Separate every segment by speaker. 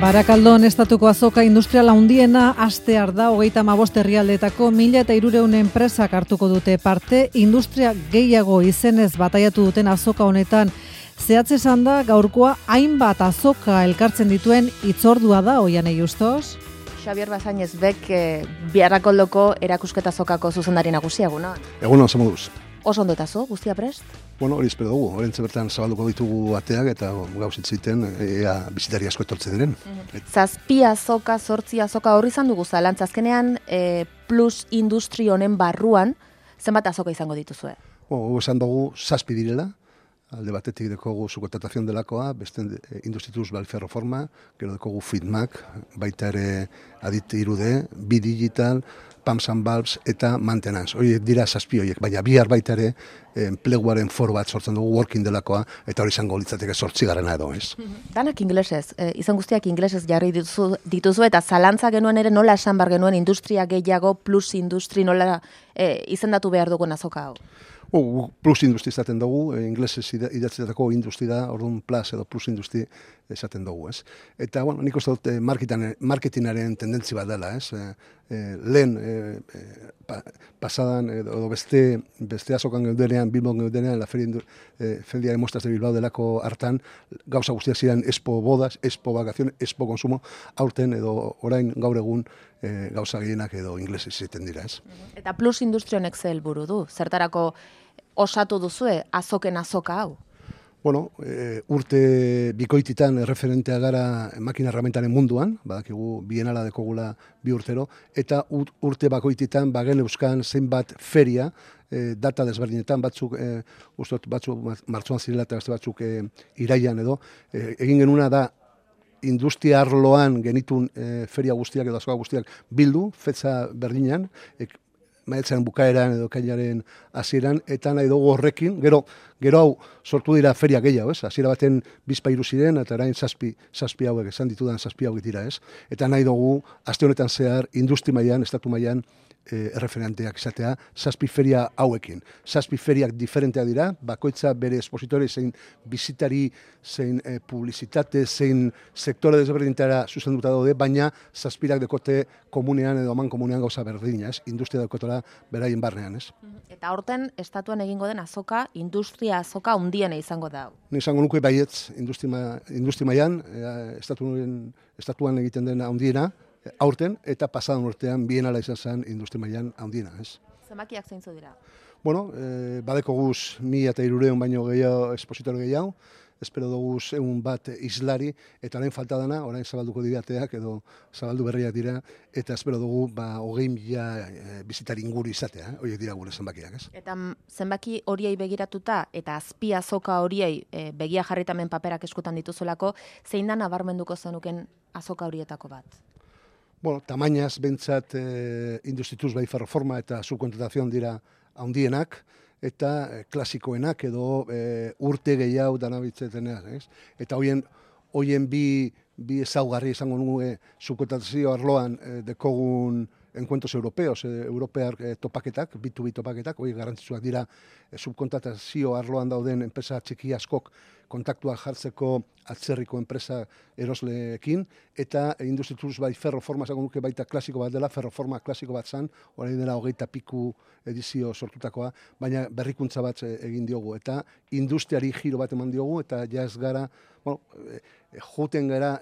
Speaker 1: Barakaldon estatuko azoka industriala handiena hastear da 35 herrialdeetako 1300 enpresak hartuko dute parte. Industria gehiago izenez bataiatu duten azoka honetan zehatz esan da gaurkoa hainbat azoka elkartzen dituen hitzordua da. Oianei Justos.
Speaker 2: Xabier Bazainez bek Barakaldoko erakusketa azokako zuzendari nagusia eguna.
Speaker 3: Egun oso moduz.
Speaker 2: Oso ondo etazo, guztia prest?
Speaker 3: Bueno, hori espero dugu. Horentze bertan zabalduko ditugu ateak eta gauzit ziten ea bizitari asko etortzen diren.
Speaker 2: Zazpi azoka, 8 azoka horri izan dugu zalantza. Azkenean plus industri honen barruan zenbat azoka izango dituzue?
Speaker 3: Esan dugu 7 direla. Alde batetik dekogu subkontratazion delakoa, beste Industritus Balferroforma, gero dekogu Fitmak, baita ere Adit 3D, Bidigital, Pumps and Valves eta Maintenance. Horiek dira 7 horiek, baina bihar baita ere enpleguaren foro bat sortzen dugu working delakoa, eta hori izango litzateke 8. edo, ez?
Speaker 2: Danak inglesez, izan guztiak inglesez jarri dituzu eta zalantza genuen ere nola esan bar genuen industria gehiago plus industri nola izendatu behar dugun azoka hau?
Speaker 3: Plus industri esaten dugu, inglesez idatzetako industri da, orduan plus edo plus industri esaten dugu, ez? Eta, bueno, nik uste dut marketingaren tendentzi bat dela, ez? Lehen pasadan, edo beste azokan geudenean, Bilbon geudenean, la Feria de Muestras de Bilbao delako hartan, gauza guztiak ziren Expo Bodas, Expo Vacaciones, Expo Consumo, aurten edo orain gaur egun gauza gehienak edo inglesez egiten dira, ez?
Speaker 2: Eta plus industri honek ze helburu du? Zertarako osatu duzue azoken azoka hau?
Speaker 3: Bueno, urte bikoititan referentea gara makina herramientaren munduan, badakigu bienala dekogula 2 urtero, eta urte bakoititan bagen euskan zenbat feria, data desberdinetan, batzuk martxoan zirela eta beste batzuk iraian edo, egin genuna da industria arloan genitun feria guztiak edo azoka guztiak bildu, fetza berdinean, maiatzaren bukaeran edo kainaren hasieran, eta nahi dugu horrekin, gero hau sortu dira feria gehiago, ez? Hasiera baten 2 ziren, eta orain 7 hauek, esan ditudan 7 hauek dira, ez? Eta nahi dugu, aste honetan zehar, industri mailan, estatu mailan, erreferenteak izatea, 7 feria hauekin. 7 feriak diferenteak dira, bakoitza bere espositore zein bizitari, zein publizitate, zein sektore desberdintara zuzenduta daude, baina 7 dekote komunean edo aman komunean gauza berdina, ez? Industria daukotela beraien barnean, ez?
Speaker 2: Eta horten, estatuan egingo den azoka, industria azoka handiena izango da.
Speaker 3: Ni izango nuke baietz, industri mailan, estatuan egiten den handiena, aurten eta pasadan urtean bienala izan zen industri mailan handiena, ez?
Speaker 2: Zenbakiak zeintzu dira?
Speaker 3: Bueno, badeko guz 1300 baino gehiago espositore gehiago, espero dugu 100 bat islari, eta orain falta dana, orain zabalduko dirateak edo zabaldu berriak dira, eta espero dugu 20.000 bizitari inguru izatea, horiek dira gure zenbakiak, ez?
Speaker 2: Eta zenbaki horiei begiratuta, eta azpi azoka horiei begia jarritamen paperak eskutan dituzulako, zein da nabarmenduko zenuken azoka horietako bat?
Speaker 3: Bueno, tamainaz bentsat Industritus Balferroforma eta subkontratazion dira handienak, eta klasikoenak edo urte gehiago danabitzetenak, ez? Eta hoien bi ezaugarri izango nuke subkontratazio arloan dekogun encuentros europeos, europear topaketak, B2B topaketak, hori garrantzitsuak dira subkontratazio arloan dauden enpresa txiki askok kontaktua jartzeko atzerriko enpresa erosleekin, eta Industritus Balferroforma izango nuke baita klasiko bat dela, ferroforma klasiko bat zan, orain dela 20 piku edizio sortutakoa, baina berrikuntza bat egin diogu, eta industriari giro bat eman diogu, eta ja ez gara, joten gara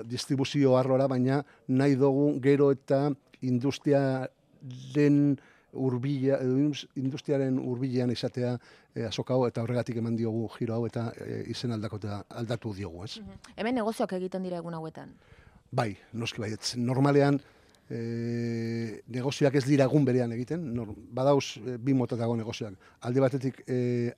Speaker 3: distribuzio arlora, baina nahi dugu gero eta industriaren hurbilean izatea azoka hau, eta horregatik eman diogu giro hau, eta izen aldatu diogu, ez?
Speaker 2: Hemen negozioak egiten dira egun hauetan?
Speaker 3: Bai, noski baietz. Normalean, negozioak ez dira egun berean egiten, badauz 2 motatako negozioak. Alde batetik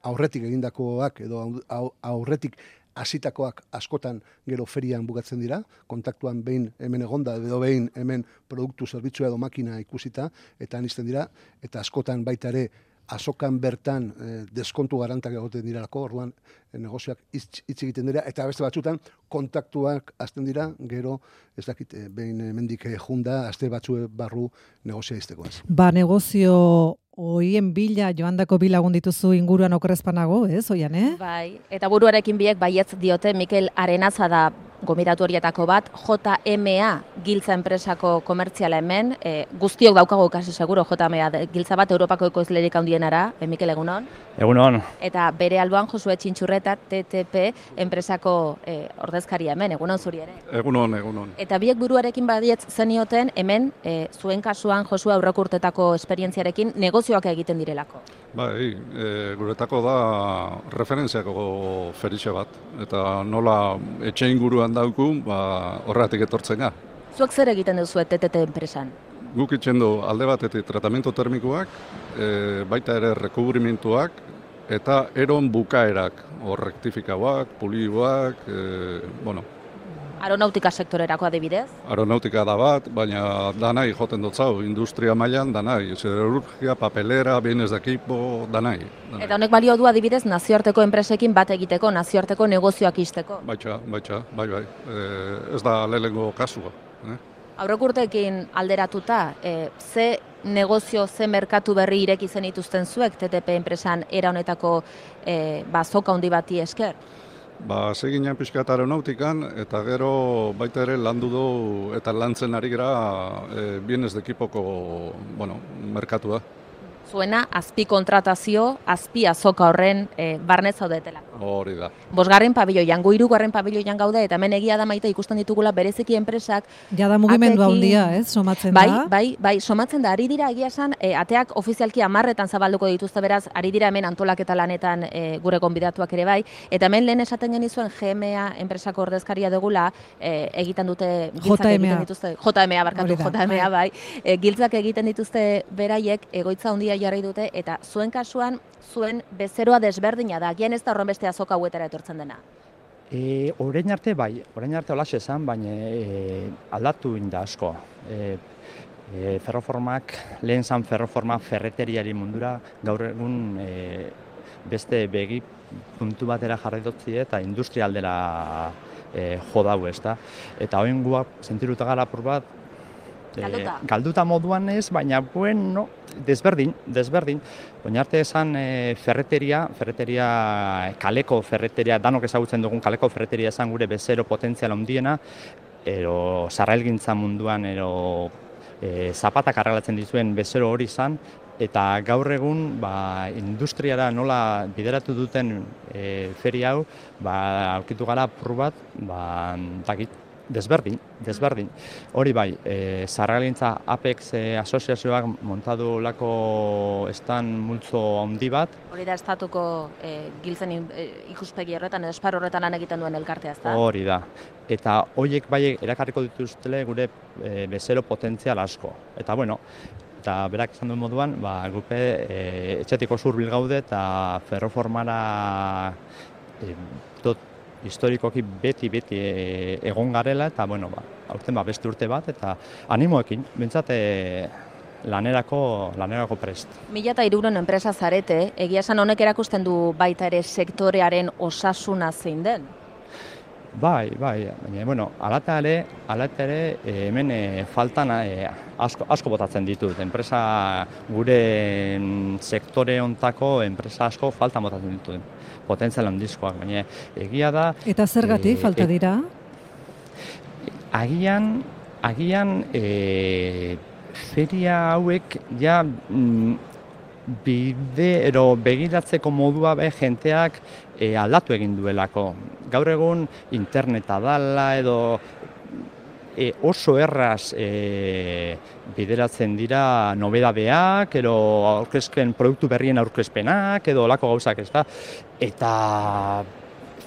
Speaker 3: aurretik egindakoak edo aurretik hasitakoak askotan gero ferian bukatzen dira, kontaktuan behin hemen egonda edo behin hemen produktu, zerbitzua edo makina ikusita, eta anizten dira, eta askotan baita ere azokan bertan deskontu garantak egoten diralako, orduan negozioak hitz egiten dira, eta beste batzutan kontaktuak hasten dira, gero ez dakit behin hemendik junda, aste batzu barru negozioa izteko.
Speaker 1: Negozio Oien bila, joandako bi lagun dituzu inguruan okerrezpanago, ez, Oian,
Speaker 2: Bai, eta buruarekin biek baietz diote, Mikel Arenaza da gomidatu horietako bat, JMA giltza enpresako komertziala hemen, guztiok daukagu kasi seguro JMA giltza bat Europako ekoizlerik handienara, Mikel egunon?
Speaker 4: Egunon.
Speaker 2: Eta bere alboan Josue Txintxurreta TTP enpresako ordezkaria hemen, egunon zuri ere?
Speaker 5: Egunon.
Speaker 2: Eta biek buruarekin badietz zenioten hemen, zuen kasuan Josue aurreko urtetako esperientziarekin negozioak egiten direlako.
Speaker 5: Bai, guretako da referentziako feritxe bat, eta nola etxe inguruan dauku, horregatik etortzen ga.
Speaker 2: Zuek zer egiten duzu TTP enpresan?
Speaker 5: Guk itxen du alde batetik tratamentu termikoak, baita ere rekubrimentuak, eta eron bukaerak, rektifikauak, pulioak,
Speaker 2: Aeronautika sektorerako adibidez?
Speaker 5: Aeronautika da bat, baina danai joten dutzau, industria mailan danai, siderurgia, papelera, bienes de equipo, danai.
Speaker 2: Eta honek balio du adibidez nazioarteko enpresekin bat egiteko, nazioarteko negozioak izteko?
Speaker 5: Bai. Ez da lehenengo kasua.
Speaker 2: Aurreko urteekin alderatuta, ze negozio, ze merkatu berri ireki zen dituzten zuek TTP enpresan era honetako zoka handi bati esker?
Speaker 5: Seginean pixkat aeronautikan, eta gero baita ere landu du eta lantzen ari gara bienes de ekipoko merkatua.
Speaker 2: Zuena, azpi kontratazio, azpi azoka horren barnez zaudetela.
Speaker 5: Hori da.
Speaker 2: 5. pabiloian, gu 3. pabiloian gaude, eta hemen egia da Maite ikusten ditugula bereziki enpresak.
Speaker 1: Jada mugimendu handia, somatzen da?
Speaker 2: Bai, somatzen da, ari dira egia esan, ateak ofizialki 10etan zabalduko dituzte beraz, ari dira hemen antolaketa lanetan gure gonbidatuak ere bai, eta hemen lehen esaten genizuen GMA enpresako ordezkaria dugula, egiten dute giltzak egiten dituzte, JMA bai, giltzak egiten dituzte beraiek, egoitza handia jarri dute, eta zuen kasuan, zuen bezeroa desberdina da, gian ez da horren beste azoka hauetara etortzen dena?
Speaker 4: Orain arte holaxe esan, baina aldatu inda asko. Ferroformak, lehen zan ferroforma ferreteriari mundura, gaur egun beste begi puntu batera jarri dutzi eta industrialdera jo dau, ezta. Eta hoen guak sentiruta gara apur bat, galduta moduan ez, baina desberdin. Baina arte esan ferreteria, kaleko ferreteria, danok ezagutzen dugun kaleko ferreteria esan gure bezero potentzial handiena, ero sarrailgintza munduan, ero zapatak arreglatzen dizuen bezero hori izan, eta gaur egun industriara nola bideratu duten feria hau, aurkitu gara apur bat, desberdin. Hori bai, sarrailgintza Apex asoziazioak montadu lako estan multzo handi bat.
Speaker 2: Hori da estatuko giltzen ikuspegi horretan, esparru horretan lan egiten duen elkartea, ezta?
Speaker 4: Hori da. Eta horiek bai erakarriko dituztele gure bezero potentzial asko. Eta eta berak esan duen moduan, gupe etxetiko zurbil gaude eta ferroformara historikoki beti egon garela, eta aurten beste urte bat, eta animoekin, bintzat lanerako prest.
Speaker 2: 1300 enpresa zarete, egia esan honek erakusten du baita ere sektorearen osasuna zein den?
Speaker 4: Bai, baina, alata ere hemen faltan asko botatzen ditut. Enpresa, gure sektore hontako enpresa asko faltan botatzen ditut. Potentzial handizkoak, baina egia da...
Speaker 1: Eta zergatik falta dira?
Speaker 4: Agian feria hauek ja begiratzeko modua jenteak aldatu egin duelako. Gaur egun interneta dala edo oso erraz bideratzen dira nobedadeak, edo aurkezpen produktu berrien aurkezpenak, edo olako gauzak, ez da. Eta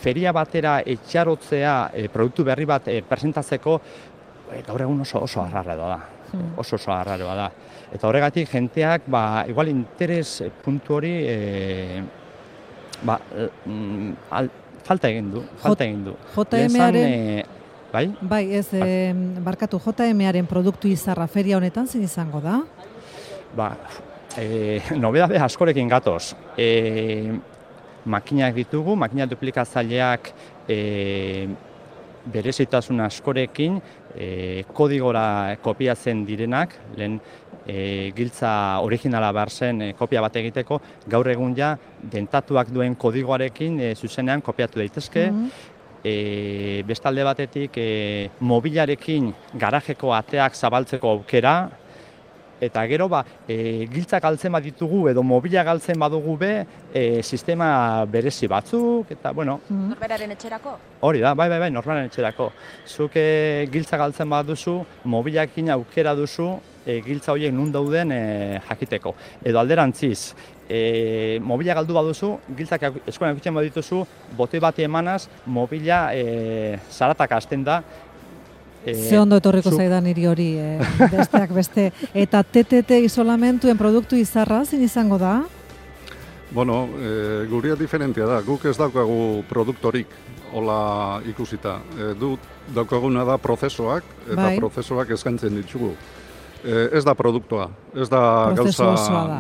Speaker 4: feria batera etxarotzea produktu berri bat presentatzeko gaur egun oso arraroa da. Oso arraroa da. Eta horregatik jenteak igual interes puntu hori falta egin du.
Speaker 1: JMaren
Speaker 4: Bai?
Speaker 1: Bai, barkatu, JMaren produktu izarra feria honetan zein izango da?
Speaker 4: Nobedade askorekin gatoz. Makinak ditugu, makina duplikatzaileak berezitasun askorekin kodigora kopiatzen direnak, lehen giltza originala behar zen kopia bat egiteko, gaur egun ja dentatuak duen kodigoarekin zuzenean kopiatu daitezke, Beste alde batetik, mobilarekin garajeko ateak zabaltzeko aukera, eta gero giltzak galtzen baditugu edo mobila galtzen badugu sistema berezi batzuk, eta bueno...
Speaker 2: Norberaren etxerako?
Speaker 4: Hori da, bai, norberaren etxerako. Zuk giltza galtzen baduzu, mobilakin aukera duzu, giltza horiek nun dauden jakiteko. Edo alderantziz, mobila galdu baduzu, giltzak eskuan ikusten badituzu, botoi bati emanaz, mobila zaratak hasten da.
Speaker 1: Ze ondo etorriko zaidan niri hori, besteak beste. Eta TTT isolamentuen produktu izarra, zin izango da?
Speaker 5: Bueno, guria diferentia da. Guk ez daukagu produktorik, hola ikusita. Daukaguna da prozesoak, eta prozesoak eskaintzen ditugu. Ez da produktua, ez da gauza,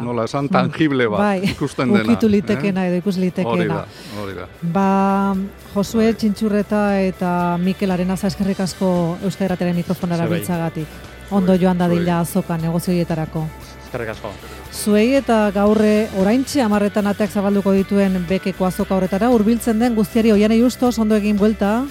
Speaker 5: nola esan, tangible bat ikusten dena.
Speaker 1: Ukitu litekena edo ikus litekena.
Speaker 5: Hori da.
Speaker 1: Josue Txintxurreta eta Mikel Arenaza eskerrik asko Euskal Irratiaren mikrofonara biltzagatik. Ondo joan dadila azoka negozioietarako.
Speaker 4: Eskerrik asko.
Speaker 1: Zuei eta gaurre oraintxe 10:00 ateak zabalduko dituen bekeko azoka horretara hurbiltzen den guztiari Oianei Justos, ondo egin buelta.